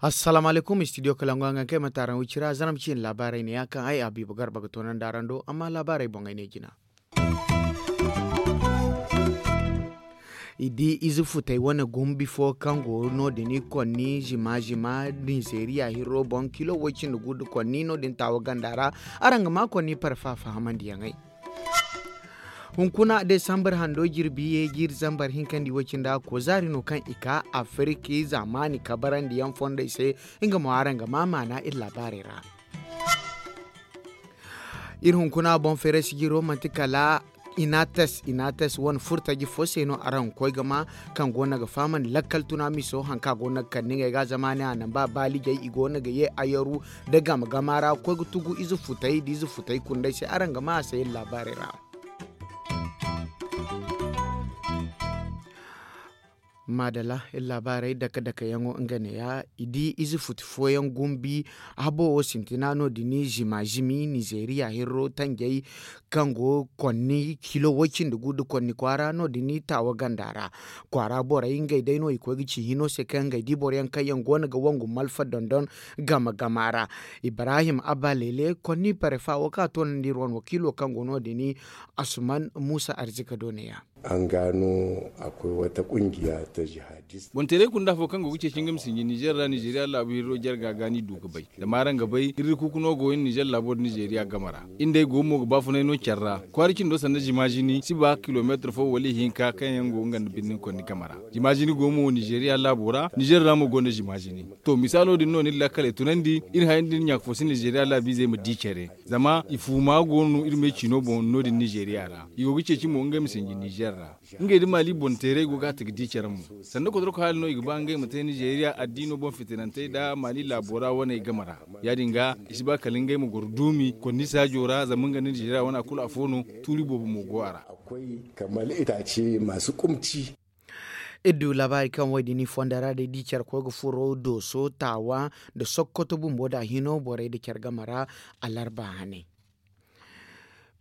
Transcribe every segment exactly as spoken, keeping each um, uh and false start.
Assalaamu alaykum, studio kalangu a ga kay mate araŋ wicira zaram ciine laabaarey ne ya kaŋ ay a biiba garba ga toonandi araŋ do amma laabaarey boŋ ay ne jina. I di ize futey wane gumbi fo kaŋ go no- din i konni zima zima nizeeriya hirro boŋ kilo woy cindi gu nda konni no- din taawa ganda ra. Araŋ ga ma konni parfa fahamandiyaŋey. Hunkuna desambar hando jirbi ye jiiri zambar hinkandi woy cindi a ko zaari no kaŋ i ka afiriki zaamaani kabarandiyaŋ fondey se. Nga mo araŋ ga ma maana iri laabaarey ra. Iri hunkuna boŋ feeray sijiro manti kala inates inates wane furtaji fo se no araŋ ga koy ga ma kaŋ go no ga fahamandi lakkal tuna miso hari kaŋ a go no ga kande ngey ga zama ne a namba baalijey i go no ga ye ayaru nda gama gama ra ga koy ga tugu ize futey nda ize futey kundey se araŋ ga ma a se iri laabaarey ra. Maadala iri laabaarey dake dake yaŋo nga neeya i di ize futi fooyaŋ gumbi habo wo sintina no- din zima zimi nizeeriya hirro tanjey kaŋ go konni kilo woy cindi gu nda konni kwaara no- din taawa ganda ra. Kwaara borey ngey day no i koy ga ci hino se kaŋ ngey di boro yaŋ kaŋ yaŋ go no ga wangu malfa dondon gama gama ra. Ibrahim abba leele konni parefa wo kaŋ a toonandi iri wane wakiilo kaŋ go no- din asuman muusa arzika do neeya. An gano akwai wata kungiya ta jihadist. Bonteeray kunda fo kaŋ go ga ceeci nga ma sinji nizeer ra nizeeriya laabu hirro jarga ga ni du ga bay zama araŋ ga bay hirri kuuku no go iri nizeer laabo nda nizeeriya game ra. Iri nd'ey go mo ga baafunay no care ra kwaara cindo sanda zima zini si ba kilomeetir fo wala ihinka kaŋ yaŋ go nga nda birni konni game ra. Zima zini go mo nizeeriya laabo ra nizeer ra mo gonda zima zini. To misaalo din no ni iri lakkaley tunandi iri haya nda iri ɲaaka fo si nizeeriya laabiizey ma di care. Zama i fuuma go no iri me ciino boŋ no- din nizeeriya ra i go ga ceeci mo ngey ma sinji nizeer ra. Ngey nda maali boŋ teeray go ga a ta ga di care mo. Sanda kotorko haali no i ga ba ngey ma te nizeeriya addiino boŋ fitinantey nda maali laabo ra waney game ra. Ya- din ga i si ba kala ngey ma goro duumi konni saajo ra zama nga nda nizeeriya wana kulu afo no. Tuuri boobo mo go a ra. Akwai kamar itace masu kumci. Iri du laabaari kaŋ wo- din i fondo ra day da i care koy ga furo dooso taawa nda sokkoto bumbo nda a hino borey nda care game ra. Alarba hane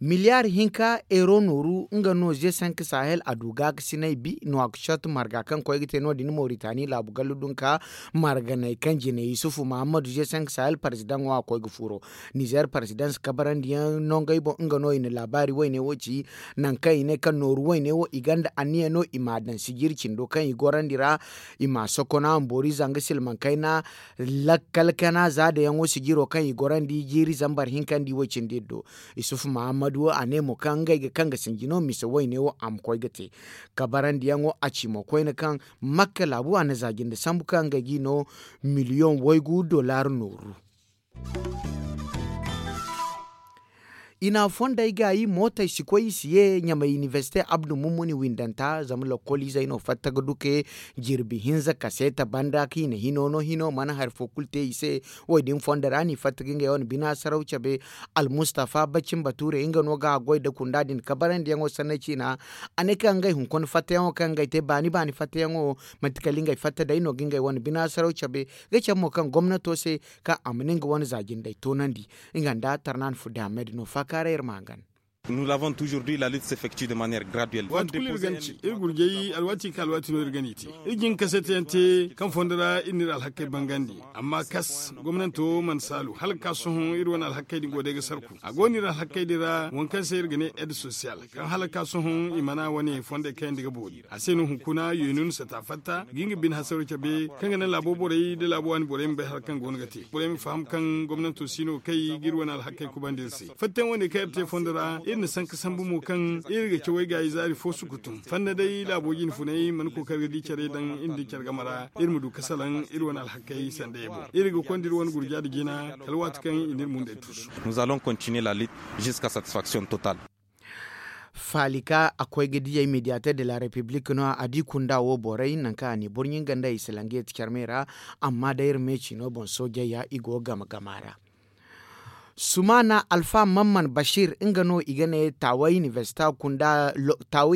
miliyaari hinka euro nooru nga no ze cinq sahel a du gaakasinay bi no a ga cot marga kaŋ koy ga te no- din moritani laabu gallu dunka marganey kaŋ jine yusufu mahammadu ze cinq sahel parzidaŋo a koy ga furo. Nizer parzidaŋ si kabarandiyaŋ nongey boŋ nga no i na laabaari woyne wo ci. Nangu kaŋ i ne kaŋ nooru woyne wo i gonda anniya no i m'a daŋ sijiri cindo kaŋ i gorandi ra. I m'a sokona mboori zanga silmaŋ kayna lakkal kana za dayaŋo sijiro kaŋ i gorandi jiiri zambar hinkandi wo cindi iri do. Isufu mahammadu wo a ne mo kaŋ ngey ga kaŋ ga sinji no mise woyne wo a ma koy ga te. Kabarandiyaŋo a ci mo koyne kaŋ makka laabu a na za jinde sambu kaŋ ngey g'i no miliyoŋ waygu dollar nooru. I na fondey gaayi mootey si koy i si ye ɲamay inibersite abdu mummuni windanta zama lokkoliizey no fatta ga duke. Jirbi hinza kaseeta banda kaŋ i na hino no hino mana hari fo kulu te i se. Wo- din fondo ra no i fatta ga ngey wane bina saraw cabe. Almustafa bacin bature nga no ga a goy nda kunda din kabarandiyaŋo sanney ciina. A ne kaŋ ngey hunkuna fattayaŋo kaŋ ngey te baani baani fattayaŋo manti kala ngey fatta day no ga ngey wane bina saraw cabe. Ga cabe mo kaŋ gomnato se kaŋ a ma ne nga wane za jindey toonandi. Nga nda tarnaan fudde ahmed no faakaaray iri ma hangan. Nous l'avons toujours dit la lutte s'effectue de manière graduelle. Waati kulu iri ga ni ci iri gurjay alwaati ka alwaati no iri ga ni te. Iri jin kaseetiyaŋ te kaŋ fondo ra iri n'iri alhakey bangandi. Amma kas gomnanto mana saalu hala ga ka sohõ iri wane alhakey din go day ga sarku a go no iri alhakey din ra waŋ kaŋ se iri ga ne aide sociale kaŋ hala ga ka sohõ i mana wane fondey kayandi ga boori. A se no hunkuna yeenun sata fatta ga nga bine hasaro cabe kaŋ ga naŋ laabo borey nda laabo waani borey ma bay hari kaŋ go no ga te borey ma faham kaŋ gomnanto si no kay ga iri wane alhakey kubandi iri se. Fattayaŋ wane kaŋ iri te fondo ra iri na sanka sambu mo kaŋ iri ga cawey gaayi zaari fo sukutum fanda day laabo jine funay mana kookari ga di care daŋ iri nda care game ra iri ma du ga salaŋ iri wane alhakey sanda ye boŋ iri ga konda iri wane gurja nda jina kala waati kaŋ i n'iri mundey tuusu. Nous allons continuer la lutte jusqu'à satisfaction totale. Faalika a koy ga diyey mediateur de la république no a di kunda wo borey nangu kaŋ a ne borɲin ganda i si lange ti carme ra. Amma day iri me ciino boŋ soojey ya i go game game a ra. Sumaana alfa mamman bashir nga no i ga ne taawa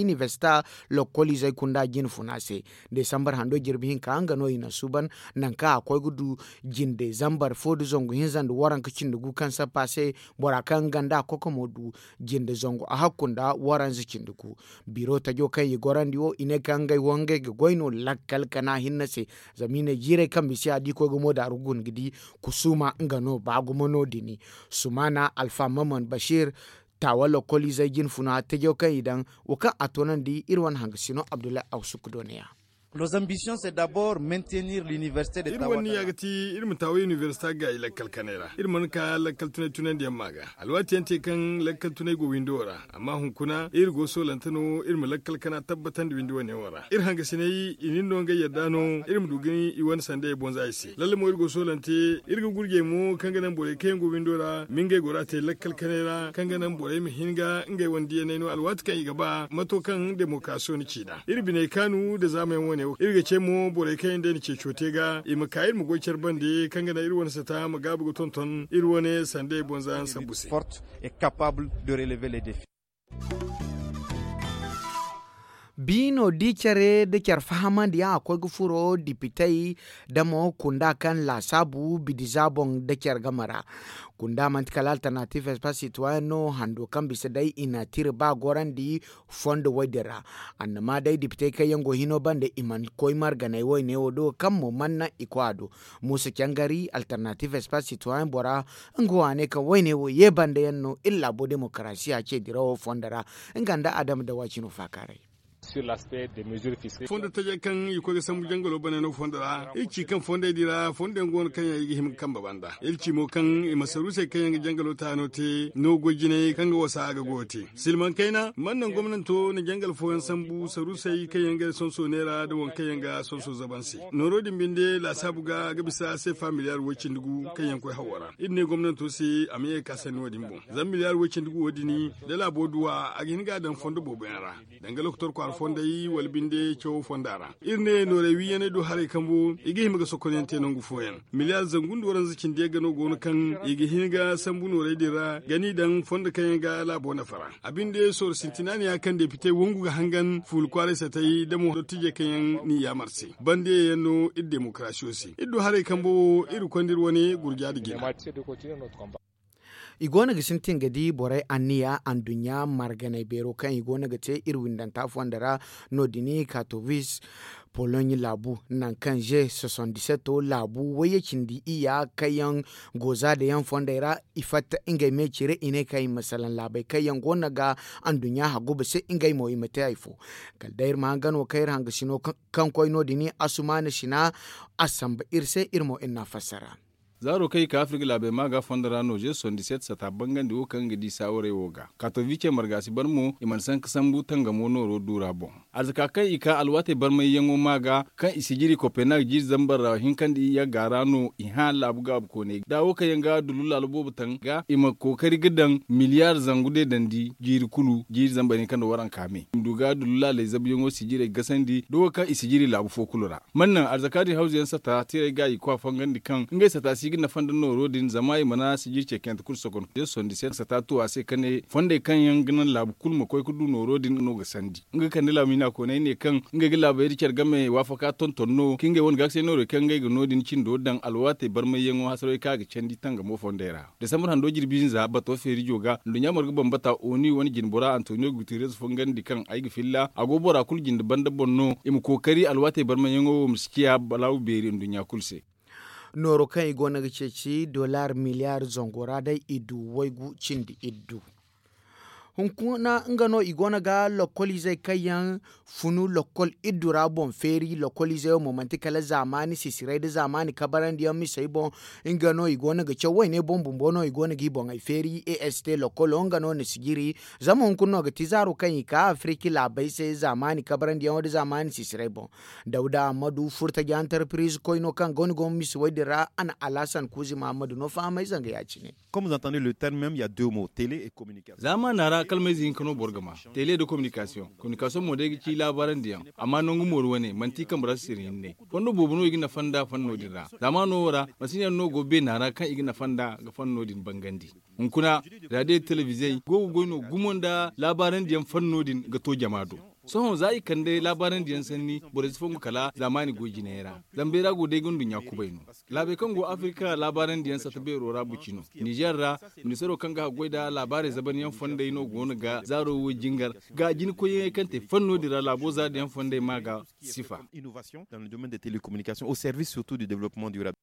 inibersita lokoliizey kunda jinfuna se. Desambar hando jirbi hinka nga no i na suuban nangu kaŋ a koy ga du jinde zambar fo nda zangu hinza nda waranka cindi gu kaŋ sappa se. Bora kaŋ nga nda a kokomo du jinde zangu a hakku nda waranza cindi gu. Biro tajo kaŋ i gorandi wo i ne kaŋ ngey wo ngey ga goy no lakkal kana hinne se. Zama i ne jiirey kaŋ bisa a di koy ga mo daaru guna ga di kusuma nga no ba gumo no dini. Sumaana alfa mamman bashir taawa lokoliizey jinfuna tajo kaŋ i daŋ wo kaŋ a toonandi iri wane hangasino abdullahi awsuk do ne ya. Iri wane niya ga ti iri ma taawa inibersita gaayi lakkal kanay ra iri mana ka lakkal tunay tunandiyaŋ ma ga. Alwaati yaŋ te kaŋ lakkal tunay go windo ra. Amma hunkuna iri go soolante no iri ma lakkal kana tabbatandi windi wane wo ra iri hangasinay i nin no ngey yadda no iri ma du ga ni i wane sandey bonza i se lalle mo iri go soolante. Iri ga gurjey mo kaŋ ga naŋ borey kaŋ yaŋ go windo ra ma ngey gora te lakkal kanay ra kaŋ ga naŋ borey ma hin ga ngey wane diyaney no alwaati kaŋ i ga ba mato kaŋ demokarasiyo na ci nd'a iri biney kaanu nda zaamayaŋ wane wo iri ga ce mo borey kaŋ yaŋ day na ceeco te ga i ma ka iri ma goy care bande kaŋ ga naŋ iri wane sata ma gaabu ga tonton iri wane sandey bonza yaŋ sambu se. Biino di care nda care fahamandiyaŋ a koy ga furo dipitey da mo kunda kaŋ laasaabu bidiza boŋ nda care game ra. Kunda manti kala alternatives pas citoyen no hando kaŋ bisa day i na tira ba gorandi fondo woy din ra. Annama day dipitey kaŋ yaŋ go hino banda i mana koy marganay woyne wo do kaŋ mo mana naŋ i koy a do. Muusa cangari alternatives pas citoyen bora nga wo a ne kaŋ woyne wo ye banda yaŋ no iri laabo demokarasiya ce dirawo fondo ra. Nga nda adama dawaci no faakaaray. Fondo tajey kaŋ i koy ga sambu jangalo bane no fondo ra iri ci kaŋ fondey din ra fondo yaŋ go no kaŋ yaŋ i ga hima ga kambe banda iri ci mo kaŋ i ma saruusey kaŋ yaŋ ga jangalo taano te no goy jinay kaŋ ga wasa a ga goyo te. Silmaŋ kayna mana naŋ gomnanto na jangal fooyaŋ sambu saruusey kaŋ yaŋ ga sonso neera nda waŋ kaŋ yaŋ ga sonso zaban se. Nooro din binde laasaabu ga ga bisa seefa miliyaar way-cindi gu kaŋ yaŋ koy hawo ra iri ne gomnanto se a ma ye ga ka sanni wo- din boŋ. Zama miliyaar way-cindi gu wo- din da laabo du a a ga hin ga a daŋ fondo boobo yaŋ ra danga lokotor kwaara fondey wala binde cawo fonda ra. Iri ne noorey wiiyaney do haray kambo i ga hima ga sokonyaŋ te nangu fooyaŋ. Miliyaar zangu nda waranza cindi yagga no go no kaŋ i ga hin ga sambu noorey din ra ga n'i daŋ fondo kaŋ yaŋ ga laabo nafa ra. A binde sooro sintina ne ya kaŋ depite wangu ga hangan fuula kwaaray satay da mo dottijey kaŋ yaŋ n'i yaamar se. Bande yaŋ no iri demokarasiyo se iri du haray kambo wo iri konda iri wane gurja nda jina. I go no ga sintin ga di borey anniya anduɲɲa marganay beero kaŋ i go no ga te iri windanta fondo ra. No- din katowis poloɲ laabu nangu kaŋ ze soixante-dix-sept laabu wayye cindi iyya kaŋ yaŋ go za da yaŋ fondey ra. I fatta ngey me cire i ne kaŋ i ma salaŋ laabey kaŋ yaŋ go no ga anduɲɲa haguba se ngey mo i ma te hari fo. Kala day iri ma hangan wo kaŋ iri hangasino kaŋ koy no- din asumaana sina a samba iri se iri mo iri n'a fassara. Zaaro kaŋ i ka afirka laabey ma ga fondo ra no ze soixante-dix-sept sata bangandi wo kaŋ ga di saawarey wo ga katovice marga si bar mo i mana sanka sambu tangamo nooro du ra boŋ. Arzaka kaŋ i ka alwaatey barmayyaŋo ma ga kaŋ i sijiri kopenhag jiiri zambar ra hinkandi yagga ra no i hã laabu gaabu kooney da wo kaŋ yaŋ ga dullu laalo boobo taŋ ga i ma kookari ga daŋ miliyaar zangu deedandi jiiri kulu jiiri zambar hinka nda waranka me i ma du ga dullu laaley zabuyaŋo sijirey gasandi da wo kaŋ i sijiri laabu fo kulu ra. Mana naŋ arzaka din hawzu yaŋ sata tirey ga i kwa fangandi kaŋ ngey sata si ga nafa nda nooro din zama i mana sijiri ceekante kulu sokon. Sata tu a se ka ne fondey kaŋ yaŋ ga naŋ laabu kulu ma koy ga du nooro din no ga sandi nga kande laabu miina kooney ne kaŋ ngey ga laabey da care game waafaka tonton no ka ngey wane gaakasey noorey kaŋ ngey ga no- din cindo daŋ alwaatey barmayyaŋo hasarawey kaŋ a ga candi tangamo fondey ra. Desambar hando jirbi hinza bato feerijo ga nduɲɲa marga bambata oni wane jinbora antonio guterres fongandi kaŋ ay ga filla a go bora kulu jinde banda boŋ no i ma kookari alwaatey barmayyaŋo wo ma si ciya balaawu beeri nduɲɲa kulu se. Nooro kaŋ i go no ga ceeci dollar miliyaar zango ra day i du waygu cindi iddu. Hunkuna nga no i go no ga lokoliizey kaŋ yaŋ funu lokol iddu ra boŋ feeri lokoliizey wo mo manti kala zaamaani sisiray nda zaamaani kabarandiyaŋ misey boŋ. Nga no i go no ga caw wayne boŋ bumbo no i go no ga i boŋey feeri est lokolo nga no na sijiri. Zama hunkuna no ga ti zaaro kaŋ i ka afirki laabey se zaamaani kabarandiyaŋo nda zaamaani sisiray boŋ. Dawda ammadu furtaji antarpiriz koyno kaŋ go no go misi way din ra a na alhasan kuuzi mahammadu no fahamay zanga ya- cine. Comme vous entendez le terme même il y a deux mots télé et communication. Zaamaana ra kalmayze hinka no boro ga ma. Tele nda kominikasiyoŋ kominikasiyoŋ mo day ga ci laabaarandi yaŋ. Amma nangu mooru wane manti i kambe ra sisiri hinne. Fondo boobo no i ga nafa nda fanno din ra. Zaamaano wo ra masiŋ yaŋ no go beena ra kaŋ i ga nafa nda ga fanno din bangandi. Hunkuna, raadiyo telebizey go ga goy no gumo nda laabaarandi yaŋ fanno din ga to jama do. Sohõ za i kande laabaarandi yaŋ sanni borey si fongu kala zaamaani goy jinay ra. Zama beera go day ga nduɲɲa kubay no. Laabey kaŋ go afirika laabaarandi yaŋ satta beero ra buci no. Nizer ra, ministaro kaŋ ga haggoy nda laabaarey zabanyaŋ fondey no go no ga zaaro wo jingar ga jina koyyaŋey kaŋ te fanno din ra laabo zaari yaŋ fondey ma ga sifa. Innovation dans le domaine des télécommunications au service surtout du développement durable.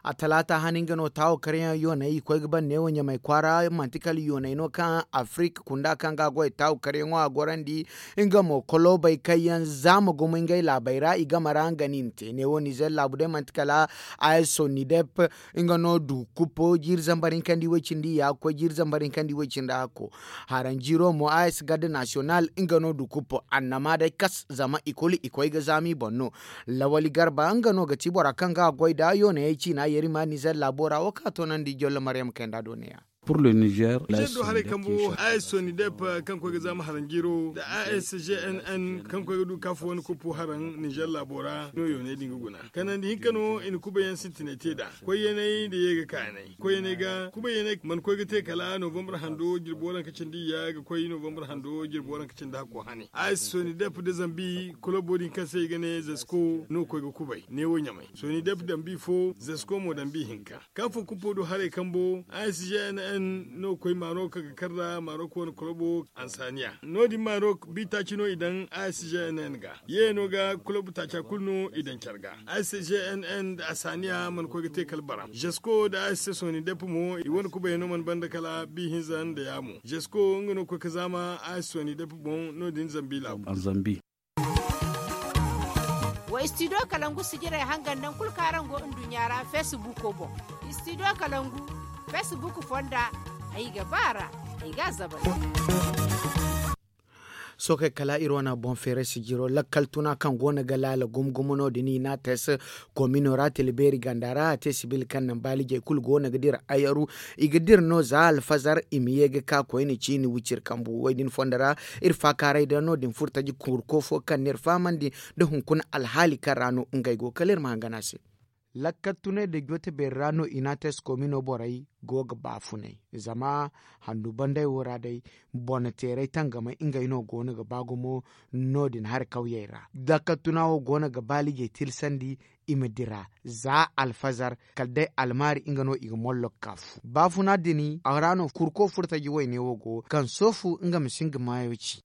A talaata hane nga no taawo karyaŋ yooney i koy ga ban neewo ɲamay kwaara manti kala yooney no kaŋ afirik kunda kaŋ ga a goy taawo karyaŋo a gorandi. Nga mo koloobay kaŋ yaŋ za ma gumo ngey laabey ra i game ra nga no i na te neewo nizer laabu day manti kala a s sonidep. Nga no du kuppo jiiri zambar hinkandi way cindi ya ga koy jiiri zambar hinkandi way cindi hakko. Haranjiiro mo a s garde nasiyonal nga no du kuppo annama day kas zama i kulu i koy ga zaama i boŋ no. Lawali garba nga no ga ti bora kaŋ ga a goy nda yoonayey ciina yeri ma nizer laabo ra wo kaŋ a toonandi jollo maryam kayanda do neeya. Pur le nizer. Nizer do haray kambo a s sonidep kaŋ koy ga zaama haranjiiro nda a s g n n kaŋ koy ga du kaafu wane kuppo haraŋ nizer laabo ra no yooney din ga guna. Kanandi hinka no i na kubayaŋ sintinay te nd'a. Koyyaney nda ye ga kaanay koyyaney ga kubayaney mana koy ga te kala novambar hando jirbo ranka cindi ya ga koy novambar hando jirbo ranka cindi hakko hane a si sonidep nda zambi kolobo din kaŋ se i ga ne zasko no koy ga kubay neewo ɲamay sonidep dambi fo zasko mo dambi hinka. Kaŋ fo kupo do haray kambo a s g n n no koy marok ga kar nda marok wane kolobo ansaniya no- din marok bi taaci no i daŋ a s g n n ga. Yeeno ga kulob taaca kulu no i daŋ care ga a s g n n nda asaniya mana koy ga te kala baram zasko nda a s c sonidep mo i wane kubayey no mana banda kala bi hinza nda yaamo zasko nga no koy ga zaama a s c sonidep boŋ no- din zambi laabu. Wa studio kalangu sijirey hangan naŋ kulu kaŋ araŋ go nduɲɲa ra facebook boŋ. Studio kalangu facebook fonda ay ga ba ra ay ga a zabal. Sookey kala iri wane boŋ feeray sijiro lakkal tuna kaŋ go no ga laala gumo gumo no- din i n'a te se komino ra tila beeri ganda ra a te sibil kaŋ naŋ baalijey kulu go no ga dira ayaru. I ga dira no za alfazar i ma ye ga ka koyne ciini wiciri kambu wo- din fondo ra. Iri faakaaray da no- din furo taji kurko fo kaŋ no iri fahamandi nda hunkuna alhaali kaŋ ra no ngey go kala iri ma hangan a se. Lakkal tunay da joote beeri ra no i n'a te se komino borey go ga baafunay zama handu banday wo ra day bonateeray tangamay ngey no go no ga ba gumo. No- din hari kawyey ra lakkal tuna wo go no ga baalijey tilsandi i ma dira za alfazar kala day almaari nga no i ga mollo ga ka fu baafuna din a ra no kurko furo taji wayne wo go kaŋ soofu nga ma si nga maayo ci.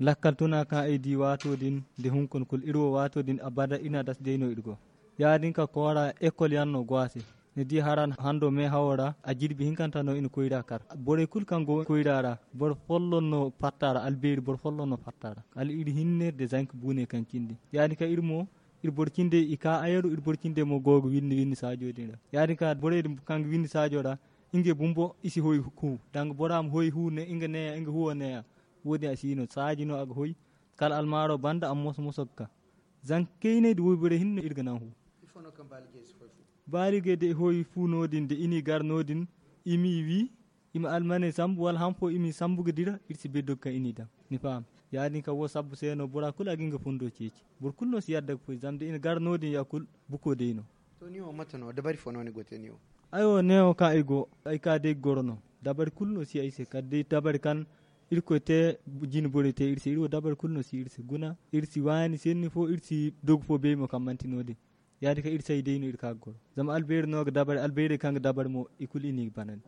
Lakkal tuna kaŋ ay di waato din nda hunkuna kulu iri wo waato din abada iri na dasa day no iri go. Ya- din ka koora ekol yaŋ no go a se. Ni di hara hando meehawo ra a jirbi hinkanta no i na koyra kar borey kulu kaŋ go koyra ra boro folloŋ no fatta ra albeeri boro folloŋ no fatta ra. Kala iri hinne nda zanka buune kaŋ cindi ya- din ka iri mo iri boro cindey i ka ayaru iri boro cindey mo go ga winni winni saajo din ra. Ya- din ka borey din kaŋ ga winni saajo ra ngey bumbo i si hoy hu danga bora ma hoy hu ne nga neeya nga huwo neeya. Wo- din a si no saaji no a ga hoy kala almaaro banda a ma moso moso ga ka. Zanka kayney nda wayborey hinne no iri ga naŋ hu. Baaligey da i hoy fu no- din da i n'i gar no- din i m'i wi i ma almaney sambu wala han fo i m'i sambu ga dira iri si bay doga kaŋ i n'i daŋ. Ni faham? Ya- din kaŋ wo sabbu se no bora kulu a ga nga fundo ceeci. Boro kulu no si yadda ga foy zama da i na gar no- din ya kulu buko day no. To ni wo mate no dabari fo no ni go te ni wo? Ay wo neewo kaŋ ay go ay ka day ga goro no. Dabari kulu no si ay se kala day dabari kaŋ irkoy te jine borey te iri se iri wo dabari kulu no si iri se guna iri si waani senni fo iri si dogu fo bay mo kaŋ manti no- din. Ya- din kaŋ iri say day no iri ka ga goro zama albeeri no ga dabari albeerey kaŋ ga dabari mo i kulu i n'i ga banandi.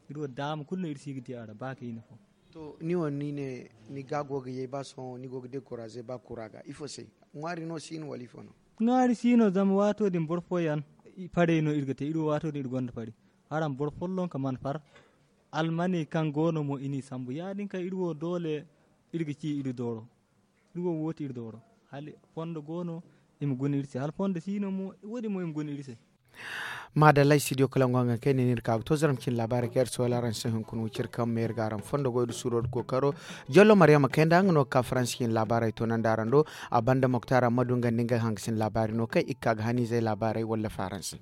Iri wo daama kulu no iri si ga di a ra ba kayna fo. To ni wo ni ne ni ga go ga yay ba sohõ ni go ga dekouraze ba kura ga ifo se? Ŋwaari no si no wala ifo no? Ŋwaari si no zama waato din boro fooyaŋ farey no iri ga te iri wo waato din iri gonda fari. Araŋ boro folloŋ ka mana far. Almaney kaŋ go no mo i n'i sambu ya- din kaŋ iri wo doole iri ga ci iri dooro. Iri wo wo ti iri dooro hala fondo go no i ma guna iri se hala fondo si no mo wo- din mo i ma guna iri se. Maadallay studio kalangu hangan kaŋ ay ne no iri ka ga to zaram cine laabaarey kaŋ iri soola araŋ se hunkuna wiciri kaŋ ma iri ga araŋ fondo goy nda suuro nda kookaro. Jollo maryama kayanda nga no ga ka faransi cine laabaarey toonandi araŋ do. A banda moktar ammadu nga nda nga hangasin laabaari no kaŋ i ga ka ga haniizey laabaarey walla faransi.